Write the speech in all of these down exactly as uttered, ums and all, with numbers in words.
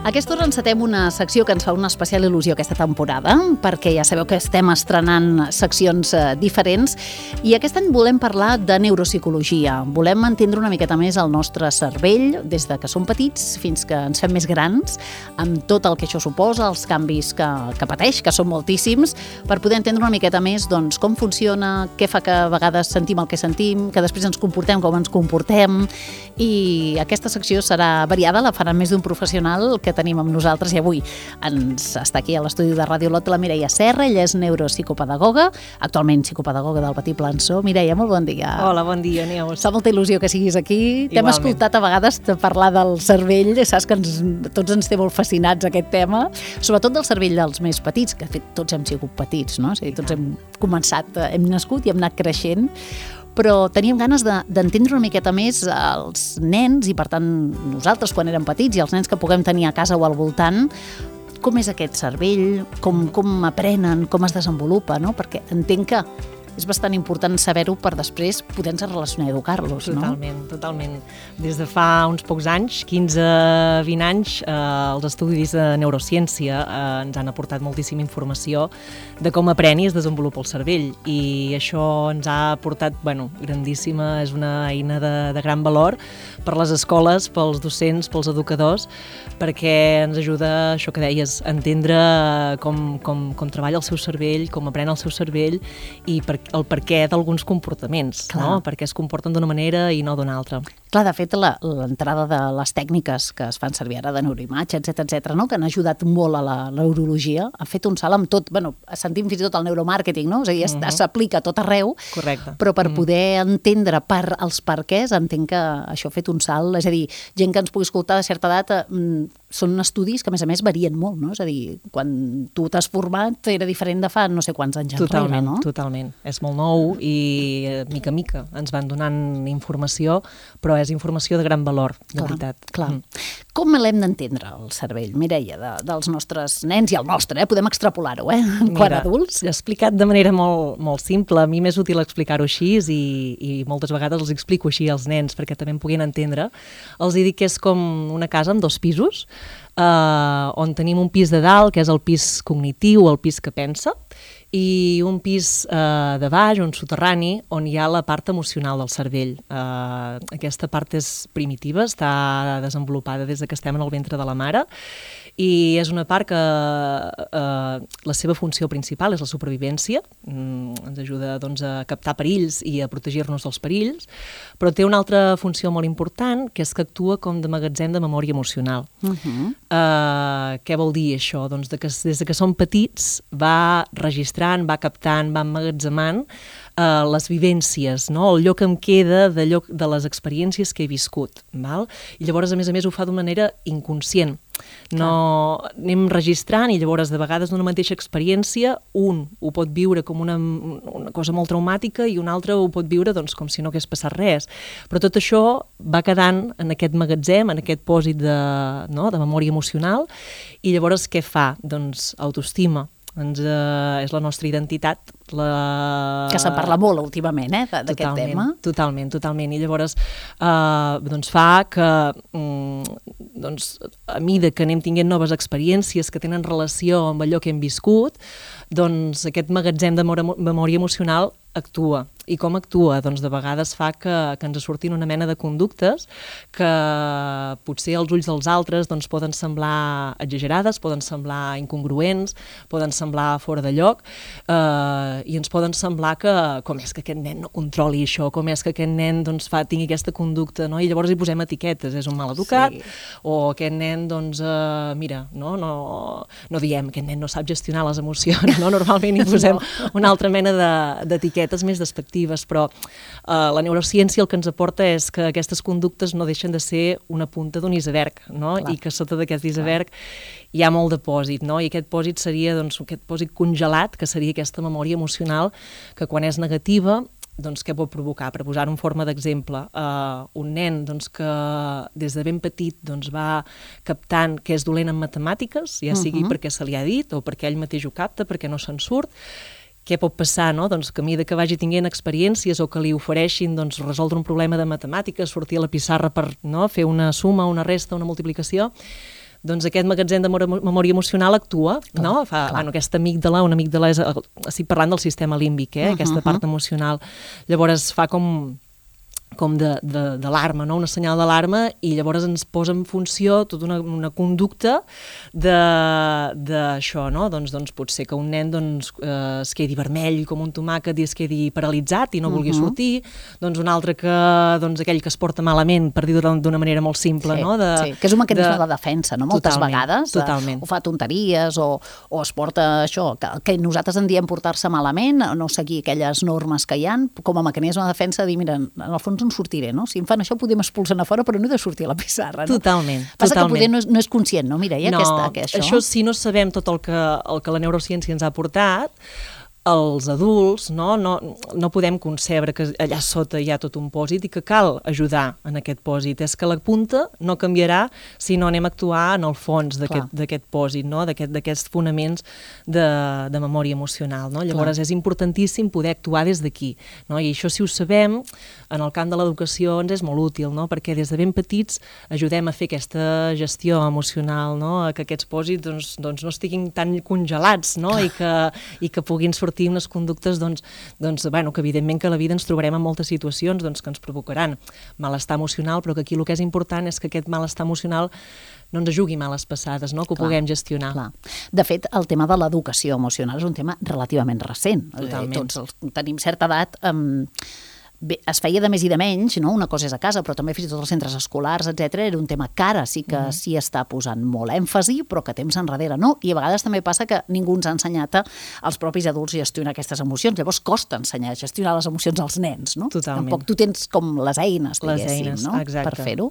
aquesta hora encetem una secció que ens fa una especial il·lusió aquesta temporada, perquè ja sabeu que estem estrenant seccions eh, diferents, i aquest any volem parlar de neuropsicologia. Volem entendre una miqueta més el nostre cervell, des de que som petits fins que ens fem més grans, amb tot el que això suposa, els canvis que, que pateix, que són moltíssims, per poder entendre una miqueta més doncs, com funciona, què fa que a vegades sentim el que sentim, que després ens comportem com ens comportem, i aquesta secció serà variada, la farà més d'un professional que tenim amb nosaltres, i avui ens està aquí a l'estudi de Ràdio Lot la Mireia Serra. Ella és neuropsicopedagoga, actualment psicopedagoga del Petit Plançó. Mireia, molt bon dia. Hola, bon dia, Neus. Fa molta il·lusió que siguis aquí. T'hem escoltat a vegades parlar del cervell, saps que ens, tots ens té molt fascinats aquest tema, sobretot del cervell dels més petits, que de fet tots hem sigut petits, no? És a dir, tots hem començat, hem nascut i hem anat creixent, però teníem ganes de, d'entendre una miqueta més els nens i, per tant, nosaltres quan érem petits i els nens que puguem tenir a casa o al voltant, com és aquest cervell, com, com aprenen, com es desenvolupa, no? Perquè entenc que és bastant important saber-ho per després poder-nos relacionar i educar-los, no? Totalment, totalment. Des de fa uns pocs anys, quinze vint anys, eh, els estudis de neurociència eh, ens han aportat moltíssima informació de com aprèn i es desenvolupa el cervell, i això ens ha aportat, bueno, grandíssima, és una eina de, de gran valor per les escoles, pels docents, pels educadors, perquè ens ajuda, això que deies, a entendre com, com, com treballa el seu cervell, com aprèn el seu cervell i per el perquè d'alguns comportaments, no? Perquè es comporten d'una manera i no d'una altra. Clar, de fet, la, l'entrada de les tècniques que es fan servir ara de neuroimatge, etcètera, etcètera, no? Que han ajudat molt a la neurologia, ha fet un salt amb tot, bueno, sentim fins i tot el neuromàrqueting, no? És a dir, uh-huh. s'aplica a tot arreu. Correcte. Però per uh-huh. poder entendre per els perquès, entenc que això ha fet un salt, és a dir, gent que ens pugui escoltar de certa edat, eh, són estudis que, a més a més, varien molt, no? És a dir, quan tu t'has format era diferent de fa no sé quants anys enrere, totalment, no? Totalment, és molt nou i mica a mica ens van donant informació, però és informació de gran valor, de clar, veritat. Clar. Mm. Com l'hem d'entendre, el cervell, Mireia, de, dels nostres nens i el nostre, eh? Podem extrapolar-ho, eh? Quan adults. Explicat de manera molt, molt simple, a mi m'és útil explicar-ho així i, i moltes vegades els explico així als nens perquè també em puguin entendre. Els dic que és com una casa amb dos pisos, Uh, on tenim un pis de dalt, que és el pis cognitiu, el pis que pensa, i un pis uh, de baix, un soterrani, on hi ha la part emocional del cervell. Uh, aquesta part és primitiva, està desenvolupada des que estem en el ventre de la mare, i és una part que uh, la seva funció principal és la supervivència, mm, ens ajuda doncs, a captar perills i a protegir-nos dels perills, però té una altra funció molt important, que és que actua com de magatzem de memòria emocional. Uh-huh. Uh, què vol dir això? Doncs de que des que som petits va registrant, va captant, va emmagatzemant uh, les vivències, no? El lloc que em queda de, lloc, de les experiències que he viscut. Val? I llavors, a més a més, ho fa d'una manera inconscient. No, anem registrant i llavors de vegades d'una mateixa experiència un ho pot viure com una, una cosa molt traumàtica i un altre ho pot viure doncs, com si no hagués passat res, però tot això va quedant en aquest magatzem, en aquest pòsit de, no, de memòria emocional, i llavors què fa? Doncs autoestima. Doncs, eh, és la nostra identitat. La... Que se'n parla molt últimament, eh, d'aquest totalment, tema. Totalment, totalment. I llavors eh, doncs fa que mm, doncs, a mida que anem tinguent noves experiències que tenen relació amb allò que hem viscut, doncs aquest magatzem de memòria emocional actua. I com actua? Doncs de vegades fa que, que ens surtin una mena de conductes que potser als ulls dels altres doncs, poden semblar exagerades, poden semblar incongruents, poden semblar fora de lloc, eh, i ens poden semblar que com és que aquest nen no controli això, com és que aquest nen doncs, fa, tingui aquesta conducta, no? I llavors hi posem etiquetes, és un mal educat, sí. O aquest nen, doncs, eh, mira, no, no, no diem, aquest nen no sap gestionar les emocions, no? Normalment hi posem no. una altra mena de, d'etiquetes més despectives, però eh, la neurociència el que ens aporta és que aquestes conductes no deixen de ser una punta d'un iceberg, no? I que sota d'aquest iceberg hi ha molt de pòsit, no? I aquest pòsit seria doncs, aquest pòsit congelat, que seria aquesta memòria emocional que quan és negativa, doncs què pot provocar? Per posar en forma d'exemple, uh, un nen doncs, que des de ben petit doncs, va captant que és dolent en matemàtiques, ja sigui uh-huh. perquè se li ha dit o perquè ell mateix ho capta, perquè no se'n surt, què pot passar, no? Doncs que a mesura que vagi tinguent experiències o que li ofereixin doncs, resoldre un problema de matemàtiques, sortir a la pissarra per no? fer una suma, una resta, una multiplicació, doncs aquest magatzem de memòria emocional actua, clar, no? Fa, bueno, aquesta amígdala, una amígdala és, estic parlant del sistema límbic, eh? Uh -huh, aquesta part emocional. Llavors fa com... com d'alarma, no? Una senyal d'alarma, i llavors ens posa en funció tota una, una conducta d'això, no? Doncs, doncs pot ser que un nen doncs, eh, es quedi vermell com un tomàquet i es quedi paralitzat i no vulgui uh -huh. sortir, doncs un altre que, doncs aquell que es porta malament, per dir-ho d'una manera molt simple, sí, no? De, sí, que és un mecanisme de, de defensa, no? Moltes totalment, vegades totalment. o fa tonteries o, o es porta això, que, que nosaltres en diem portar-se malament, no seguir aquelles normes que hi ha, com a mecanisme de defensa, dir, mira, en el fons en sortiré, no? Si em fan això podem expulsar a fora, però no he de sortir a la pissarra, no? Totalment, Passa totalment. que poder no és, no és conscient, no? Mira, hi ha no, aquesta, que això... això si no sabem tot el que, el que la neurociència ens ha portat, els adults no, no, no podem concebre que allà sota hi ha tot un pòsit i que cal ajudar en aquest pòsit. És que la punta no canviarà si no anem a actuar en el fons d'aquest pòsit, no? d'aquests fonaments de, de memòria emocional. No? Llavors Clar. És importantíssim poder actuar des d'aquí. No? I això, si ho sabem, en el camp de l'educació ens és molt útil, no? Perquè des de ben petits ajudem a fer aquesta gestió emocional, no? A que aquests pòsits doncs, doncs no estiguin tan congelats, no? I, que, i que puguin sortir unes conductes doncs, doncs, bueno, que evidentment que a la vida ens trobarem en moltes situacions doncs, que ens provocaran malestar emocional, però que aquí el que és important és que aquest malestar emocional no ens jugui males passades, no? Que ho clar, puguem gestionar. Clar. De fet, el tema de l'educació emocional és un tema relativament recent. Totalment. Tots els, tenim certa edat... Um, Bé, es feia de més i de menys, no? Una cosa és a casa, però també fins i tot els centres escolars, etcètera. Era un tema que ara sí que mm. s'hi està posant molt èmfasi, però que temps enrere no. I a vegades també passa que ningú ens ha ensenyat als propis adults a gestionar aquestes emocions. Llavors costa ensenyar a gestionar les emocions als nens, no? Totalment. Tampoc tu tens com les eines, les eines, no? Exacte. Per fer-ho.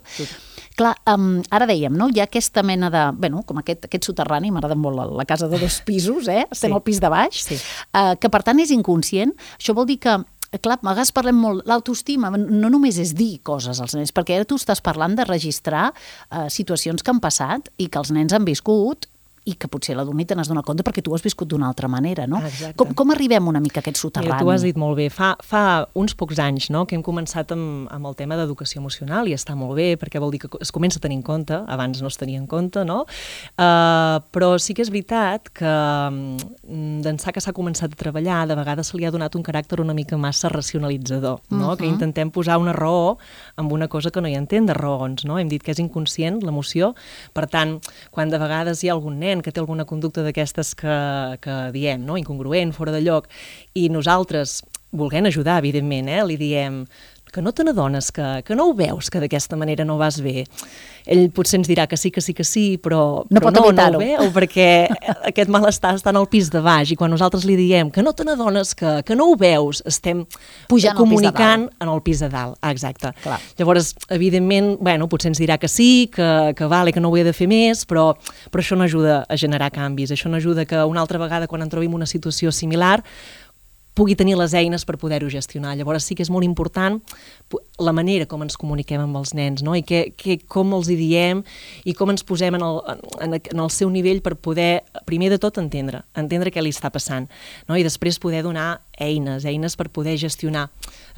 Clar, um, ara dèiem, no? Hi ha aquesta mena de... Bueno, com aquest, aquest soterrani, m'agrada molt la, la casa de dos pisos, eh? Estem sí. al pis de baix, sí. uh, que per tant és inconscient. Això vol dir que clar, a vegades parlem molt, l'autoestima no només és dir coses als nens, perquè ara tu estàs parlant de registrar eh, situacions que han passat i que els nens han viscut i que potser l'adult ni te n'has donat compte perquè tu ho has viscut d'una altra manera, no? Com, com arribem una mica a aquest soterrani? Mira, tu ho has dit molt bé. Fa, fa uns pocs anys no, que hem començat amb, amb el tema d'educació emocional i està molt bé perquè vol dir que es comença a tenir en compte, abans no es tenia en compte, no? Uh, però sí que és veritat que d'ençà que s'ha començat a treballar, de vegades se li ha donat un caràcter una mica massa racionalitzador, no? Uh-huh. Que intentem posar una raó amb una cosa que no hi entén de raons, no? Hem dit que és inconscient l'emoció, per tant, quan de vegades hi ha algun nen que té alguna conducta d'aquestes que, que diem, no? Incongruent, fora de lloc, i nosaltres, volent ajudar, evidentment, eh? Li diem que no te n'adones, que, que no ho veus, que d'aquesta manera no vas bé. Ell potser ens dirà que sí, que sí, que sí, però no, però pot no, no ho veu, perquè aquest malestar està en el pis de baix, i quan nosaltres li diem que no te n'adones, que, que no ho veus, estem pujant comunicant en el pis de dalt. Ah, exacte. Clar. Llavors, evidentment, bueno, potser ens dirà que sí, que, que vale, que no ho he de fer més, però, però això no ajuda a generar canvis, això no ajuda que una altra vegada, quan en trobim una situació similar, pugui tenir les eines per poder-ho gestionar. Llavors sí que és molt important la manera com ens comuniquem amb els nens, no? I que, que, com els hi diem i com ens posem en el, en, en el seu nivell per poder, primer de tot, entendre, entendre què li està passant, no? I després poder donar eines, eines per poder gestionar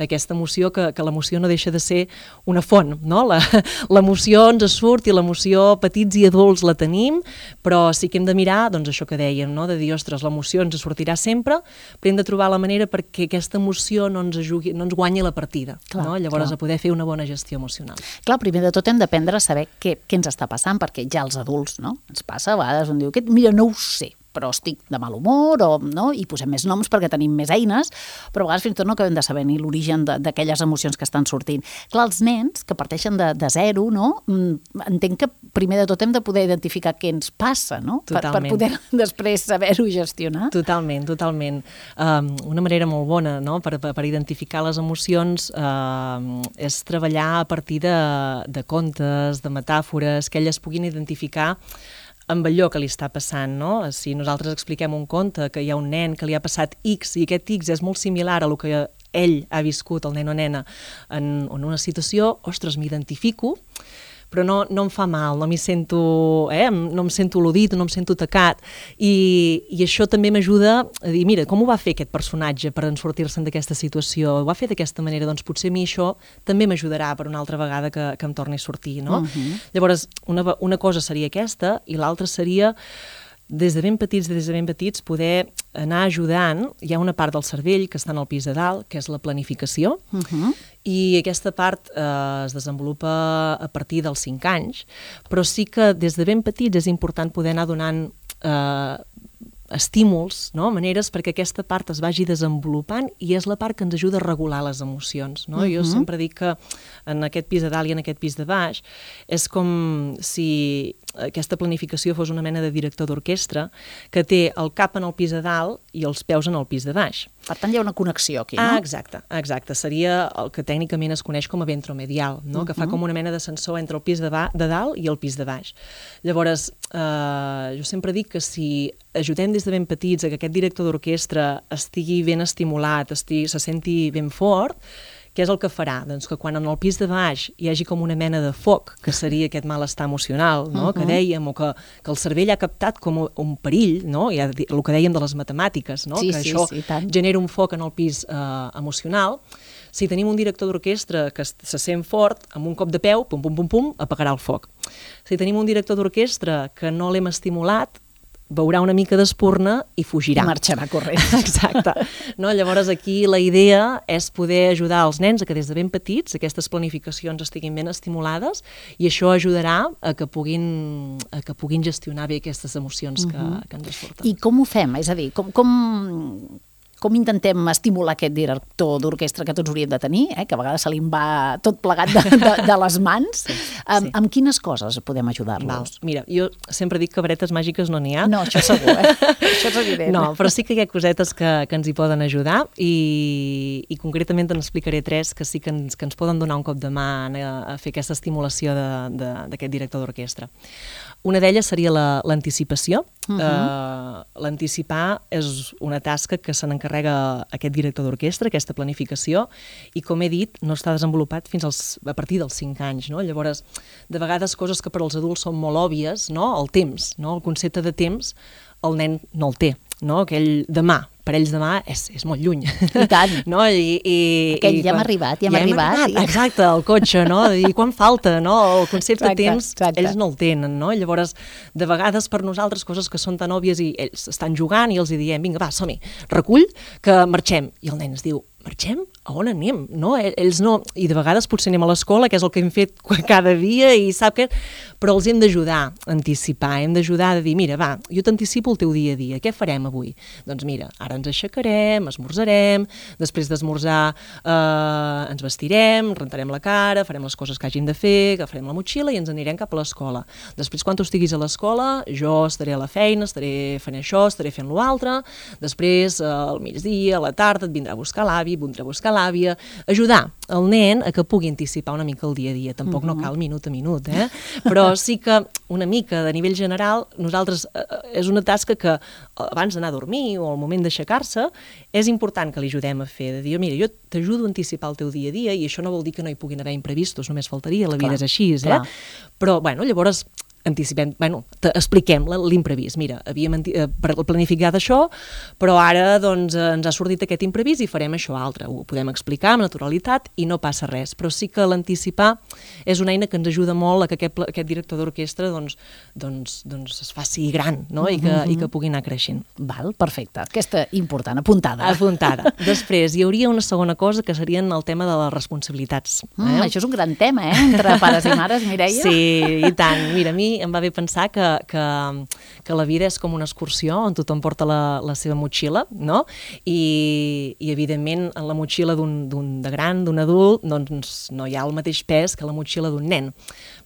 aquesta emoció, que, que l'emoció no deixa de ser una font, no? L'emoció ens surt i l'emoció petits i adults la tenim, però sí que hem de mirar, doncs això que dèiem, no? De dir, ostres, l'emoció ens sortirà sempre, però hem de trobar la manera perquè aquesta emoció no ens, ajugui, no ens guanyi la partida, clar, no? Llavors clar. A poder fer una bona gestió emocional. Clar, primer de tot hem d'aprendre a saber què, què ens està passant, perquè ja els adults, no? Ens passa, a vegades un diu, mira, no ho sé, però estic de mal humor, o, no? I posem més noms perquè tenim més eines, però a vegades fins i tot no acabem de saber ni l'origen d'aquelles emocions que estan sortint. Clar, els nens que parteixen de, de zero, no? Entenc que primer de tot hem de poder identificar què ens passa, no? Per, per poder després saber-ho gestionar. Totalment, totalment. Um, una manera molt bona, no? per, per identificar les emocions uh, és treballar a partir de, de contes, de metàfores, que elles puguin identificar amb allò que li està passant, no? Si nosaltres expliquem un conte que hi ha un nen que li ha passat X i aquest X és molt similar a lo que ell ha viscut, el nen o nena, en, en una situació, ostres, m'identifico, però no, no em fa mal, no m'hi sento, eh? no em sento al·ludit, no em sento tacat, i, i això també m'ajuda a dir, mira, com ho va fer aquest personatge per en sortir-se'n d'aquesta situació? Ho va fer d'aquesta manera, doncs potser a mi això també m'ajudarà per una altra vegada que, que em torni a sortir, no? Uh-huh. Llavors, una, una cosa seria aquesta, i l'altra seria des de ben petits, des de ben petits, poder anar ajudant. Hi ha una part del cervell que està en el pis de dalt, que és la planificació, uh-huh. i aquesta part eh, es desenvolupa a partir dels cinc anys, però sí que des de ben petits és important poder anar donant eh, estímuls, no? Maneres perquè aquesta part es vagi desenvolupant, i és la part que ens ajuda a regular les emocions, no? Uh-huh. Jo sempre dic que en aquest pis de dalt i en aquest pis de baix és com si aquesta planificació fos una mena de director d'orquestra que té el cap en el pis de dalt i els peus en el pis de baix. Per tant, hi ha una connexió aquí, no? Ah, exacte, exacte. Seria el que tècnicament es coneix com a ventromedial, no? Uh-huh. Que fa com una mena de sensor entre el pis de, ba- de dalt i el pis de baix. Llavors, eh, jo sempre dic que si ajudem des de ben petits a que aquest director d'orquestra estigui ben estimulat, estigui, se senti ben fort, què és el que farà? Doncs que quan en el pis de baix hi hagi com una mena de foc, que seria aquest malestar emocional, no? Uh-huh. Que dèiem, o que, que el cervell ha captat com un perill, no? Ja, el que dèiem de les matemàtiques, no? Sí, Que sí, això sí, tant. genera un foc en el pis eh, emocional. Si tenim un director d'orquestra que se sent fort, amb un cop de peu, pum, pum, pum, pum, apagarà el foc. Si tenim un director d'orquestra que no l'hem estimulat, veurà una mica d'espurna i fugirà. I marxarà corrent. Exacte. No? Llavors aquí la idea és poder ajudar els nens a que des de ben petits aquestes planificacions estiguin ben estimulades, i això ajudarà a que puguin, a que puguin gestionar bé aquestes emocions que, uh-huh. que ens surten. I com ho fem? És a dir, com... com... Com intentem estimular aquest director d'orquestra que tots hauríem de tenir, eh? Que a vegades se li va tot plegat de, de, de les mans? Sí, amb, sí. amb quines coses podem ajudar-los? Val. Mira, jo sempre dic que varetes màgiques no n'hi ha. No, això segur, eh? Això és evident. No, però sí que hi ha cosetes que, que ens hi poden ajudar, i, i concretament te n'explicaré tres que sí que ens, que ens poden donar un cop de mà a, a fer aquesta estimulació d'aquest director d'orquestra. Una d'elles seria la, l'anticipació. Uh-huh. uh, l'anticipar és una tasca que se n'encarrega aquest director d'orquestra, aquesta planificació, i com he dit, no està desenvolupat fins als, a partir dels cinc anys, no? Llavors, de vegades coses que per als adults són molt òbvies, no? El temps, no? El concepte de temps, el nen no el té, no? Aquell demà, per ells demà és, és molt lluny. I tant. No? I, i, Aquell i ja hem quan, arribat, ja hem ja arribat. arribat. I... Exacte, el cotxe, no? I quan falta, no? El concepte exacte, de temps, exacte. ells no el tenen, no? Llavors, de vegades per nosaltres coses que són tan òbvies i ells estan jugant i els hi diem, vinga, va, som-hi, recull, que marxem. I el nen es diu, marxem? A on anem? No? Ells no... I de vegades potser anem a l'escola, que és el que hem fet cada dia, i sap que... Però els hem d'ajudar a anticipar, hem d'ajudar a dir, mira, va, jo t'anticipo el teu dia a dia, què farem avui? Doncs mira, ara ens aixecarem, esmorzarem, després d'esmorzar eh, ens vestirem, rentarem la cara, farem les coses que hàgim de fer, agafarem la motxilla i ens anirem cap a l'escola. Després, quan tu estiguis a l'escola, jo estaré a la feina, estaré fent això, estaré fent l'altre, després, eh, al migdia, a la tarda, et vindrà a buscar l'avi, vindrà a buscar l'àvia, ajudar el nen a que pugui anticipar una mica el dia a dia. Tampoc uh-huh. no cal minut a minut, eh? Però sí que una mica de nivell general, nosaltres eh, és una tasca que abans d'anar a dormir o al moment d'aixecar-se és important que li ajudem a fer, de dir, mira, jo t'ajudo a anticipar el teu dia a dia, i això no vol dir que no hi puguin haver imprevistos, només faltaria, la vida clar, és així, eh? Clar. Però, bueno, llavors anticipem, bueno, expliquem l'imprevist. Mira, havíem planificat això, però ara doncs, ens ha sortit aquest imprevist i farem això altre. Ho podem explicar amb naturalitat i no passa res, però sí que l'anticipar és una eina que ens ajuda molt a que aquest, aquest director d'orquestra doncs, doncs, doncs es faci gran, no? I, que, mm-hmm. i que pugui anar creixent. Val, perfecte. Aquesta important, apuntada. Apuntada. Després, hi hauria una segona cosa que serien el tema de les responsabilitats. Eh? Mm, això és un gran tema, eh? Entre pares i mares, Mireia. Sí, i tant. Mira, a mi em va bé pensar que, que, que la vida és com una excursió on tothom porta la, la seva motxilla, no? I, i evidentment en la motxilla d'un, d'un de gran, d'un adult, doncs no hi ha el mateix pes que la motxilla d'un nen.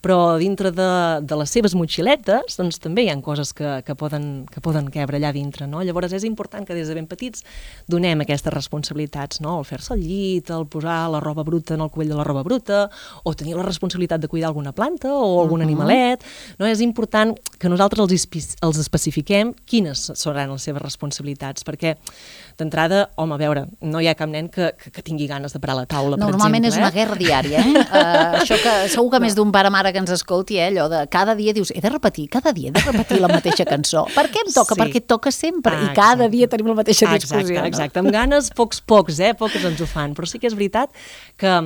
Però dintre de, de les seves motxiletes doncs també hi ha coses que, que, poden, que poden cabre allà dintre, no? Llavors és important que des de ben petits donem aquestes responsabilitats, no? El fer-se al llit, el posar la roba bruta en el cubell de la roba bruta, o tenir la responsabilitat de cuidar alguna planta o algun uh-huh. animalet. no? És important que nosaltres els, els especifiquem quines seran les seves responsabilitats, perquè d'entrada, home, a veure, no hi ha cap nen que, que, que tingui ganes de parar la taula, no, per normalment exemple. És una guerra diària, eh? uh, això que segur que més d'un pare mare que ens escolti, eh? Allò de cada dia dius, he de repetir, cada dia he de repetir la mateixa cançó. Per què em toca? Sí. Perquè et toca sempre, Ah, i cada exacte. dia tenim la mateixa discussió. Exacte, no? exacte. Amb ganes, pocs, pocs, eh? Pocs ens ho fan. Però sí que és veritat que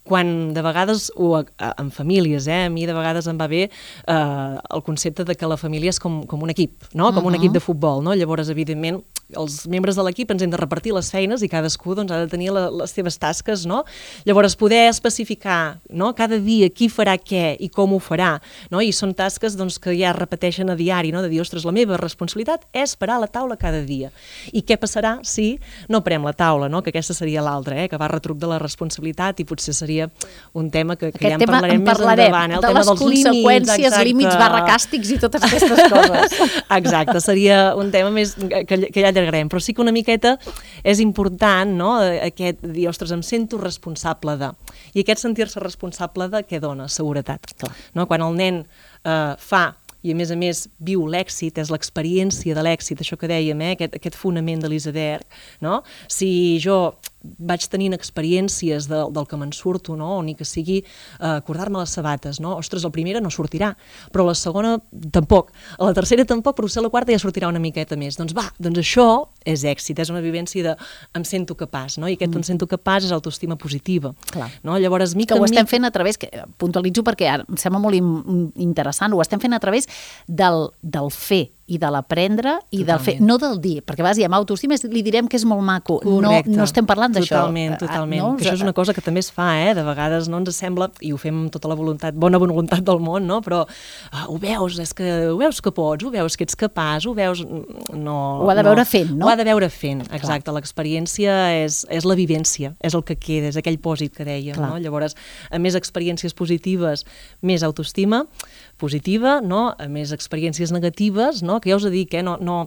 quan de vegades, o en famílies, eh? A mi de vegades em va bé eh, el concepte de que la família és com, com un equip, no? Com un Uh-huh. equip de futbol, no? Llavors, evidentment, els membres de l'equip ens hem de repartir les feines i cadascú doncs, ha de tenir la, les seves tasques, no? Llavors, poder especificar, no? Cada dia qui farà què i com ho farà, no? I són tasques doncs, que ja es repeteixen a diari, no? De dir, ostres, la meva responsabilitat és parar la taula cada dia. I què passarà si no parem la taula, no? Que aquesta seria l'altra, eh? Que va retruc de la responsabilitat i potser seria un tema que, que ja en tema parlarem, en més parlarem, endavant. Eh? El de tema les dels conseqüències, límits, límits, barra càstigs i totes aquestes coses. Exacte, seria un tema més que, que ja allargarem, però sí que una miqueta és important, no?, aquest dir, ostres, em sento responsable de... I aquest sentir-se responsable de què dona? Seguretat. Clar. No? Quan el nen eh, fa i a més a més viu l'èxit, és l'experiència de l'èxit, això que dèiem, eh? aquest, aquest fonament de l'iceberg, no? Si jo vaig tenint experiències de, del que me'n surto, no? O ni que sigui eh, acordar-me les sabates, no? Ostres, la primera no sortirà, però la segona tampoc, a la tercera tampoc, però potser la quarta ja sortirà una miqueta més. Doncs va, doncs això és èxit, és una vivència de em sento capaç, no? I aquest mm. em sento capaç és autoestima positiva. Clar. No? Llavors, mica que ho estem mica... fent a través, que puntualitzo perquè ara em sembla molt in, interessant, ho estem fent a través del, del fer i de l'aprendre i Totalment. del fer, no del dir, perquè vas dir amb autoestima li direm que és molt maco, no, no estem parlant d'això. Totalment, totalment. No? Que això és una cosa que també es fa, eh? De vegades no ens sembla, i ho fem amb tota la voluntat, bona voluntat del món, no? Però ah, ho veus, és que ho veus que pots, ho veus que ets capaç, ho veus... No, ho ha de veure no. fent, no? Ho ha de veure fent, exacte. L'experiència és, és la vivència, és el que queda, és aquell pòsit que dèiem, no? Llavors, a més experiències positives, més autoestima positiva, no? A més experiències negatives, no? Que ja us dic, eh? no, no,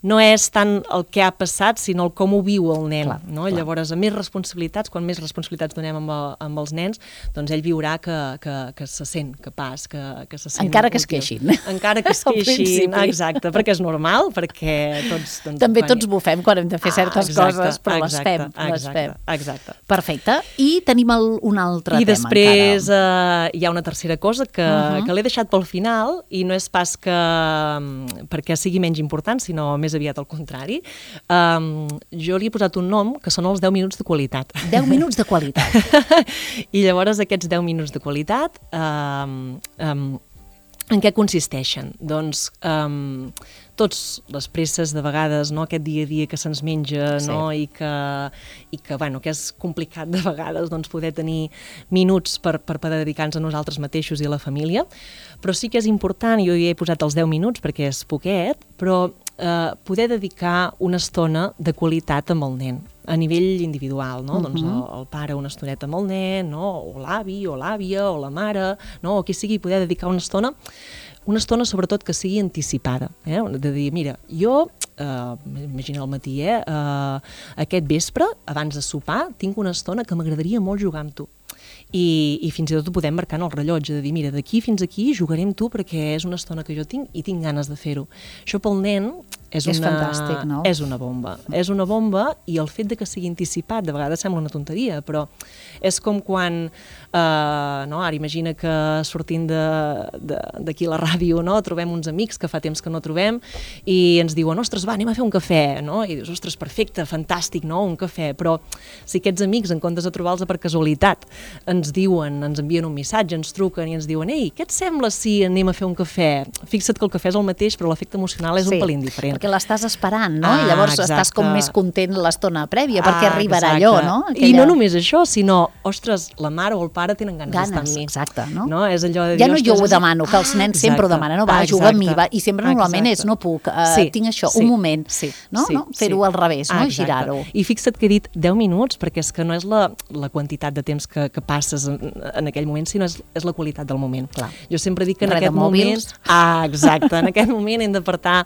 no és tant el que ha passat, sinó el com ho viu el nen. Clar, no? clar. Llavors, a més responsabilitats, quan més responsabilitats donem amb, el, amb els nens, doncs ell viurà que, que, que se sent capaç, que, que se sent encara que es útil. queixin. Encara que es queixin, exacte, perquè és normal, perquè tots... Doncs, també quan... tots bufem quan hem de fer certes ah, exacte, coses, però exacte, les fem. Exacte, les fem. exacte. Perfecte. I tenim el, un altre I tema després eh, hi ha una tercera cosa que, uh -huh. que l'he deixat pel final i no és pas que perquè sigui menys important, sinó més aviat al contrari. Um, jo li he posat un nom que són els deu minuts de qualitat. deu minuts de qualitat. I llavors aquests deu minuts de qualitat um, um, en què consisteixen? Doncs um, tots les presses de vegades, no? Aquest dia a dia que se'ns menja, sí. No? I que, i que, bueno, que és complicat de vegades doncs, poder tenir minuts per, per poder dedicar-nos a nosaltres mateixos i a la família, però sí que és important, jo hi he posat els deu minuts perquè és poquet, però eh, poder dedicar una estona de qualitat amb el nen a nivell individual, no? Uh-huh. Doncs el, el pare una estoneta amb el nen, no? O l'avi, o l'àvia, o la mare, no? O qui sigui, poder dedicar una estona una estona sobretot que sigui anticipada, eh? De dir, mira, jo, eh, imagina al matí, eh, eh, aquest vespre, abans de sopar, tinc una estona que m'agradaria molt jugar amb tu. I, i fins i tot ho podem marcar en el rellotge, de dir, mira, d'aquí fins aquí jugaré amb tu perquè és una estona que jo tinc i tinc ganes de fer-ho. Això pel nen és, és una, fantàstic, no? És una bomba. És una bomba i el fet de que sigui anticipat, de vegades sembla una tonteria, però és com quan, eh, no? Ara imagina que sortint d'aquí a la ràdio, no? Trobem uns amics que fa temps que no trobem i ens diuen, ostres, va, anem a fer un cafè, no? I dius, ostres, perfecte, fantàstic, no? Un cafè, però si aquests amics, en comptes de trobar-los per casualitat, ens diuen, ens envien un missatge, ens truquen i ens diuen, ei, què et sembla si anem a fer un cafè? Fixa't que el cafè és el mateix, però l'efecte emocional és sí, un pelín diferent. Perquè l'estàs esperant, no? Ah, I llavors exacte. Estàs com més content l'estona prèvia, ah, perquè arribarà exacte. allò, no? Aquella... I no només això, sinó, ostres, la mare o el pare tenen ganes, ganes d'estar amb mi. Exacte, no? no? És allò de dir, ja no jo ho és... demano, que els nens ah, sempre ho demanen, no, va, exacte. juga amb mi, va, i sempre normalment exacte. és, no puc, uh, sí, tinc això, sí, un moment, sí, no? sí, no? Fer-ho sí. al revés, no? Ah, Girar-ho. I fixa't que he dit deu minuts, perquè és que no és la, la quantitat de temps que, que passes en, en aquell moment, sinó és, és la qualitat del moment. Clar. Jo sempre dic que en Res aquest moment... Ah, exacte, en aquest moment hem d'apartar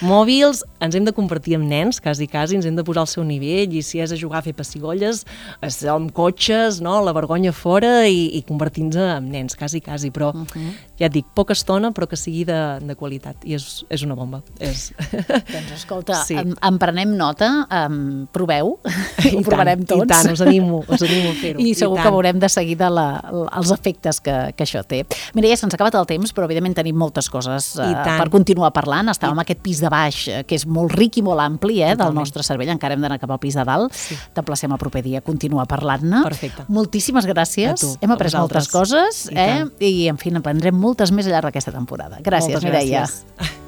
mòbil infantils, ens hem de convertir en nens, quasi, quasi, ens hem de posar al seu nivell, i si és a jugar a fer pessigolles, a ser amb cotxes, no? La vergonya fora, i, i convertir-nos en nens, quasi, quasi, però uh -huh. ja et dic, poca estona, però que sigui de, de qualitat, i és, és una bomba. És... Doncs escolta, sí. en, en prenem nota, um, proveu, I ho provarem tots. I tant, us animo, us animo a fer-ho. I segur I que veurem de seguida la, els efectes que, que això té. Mira, ja se'ns ha acabat el temps, però evidentment tenim moltes coses uh, per continuar parlant. Estàvem en aquest pis de baix, que és molt ric i molt ampli, eh, del nostre cervell. Encara hem d'anar cap al pis de dalt. Sí. T'emplacem a proper dia a continuar parlant-ne. Perfecte. Moltíssimes gràcies. Tu, hem après moltes coses, I, eh? I en fi, n'aprendrem moltes més al llarg d'aquesta temporada. Gràcies, moltes Mireia. Gràcies.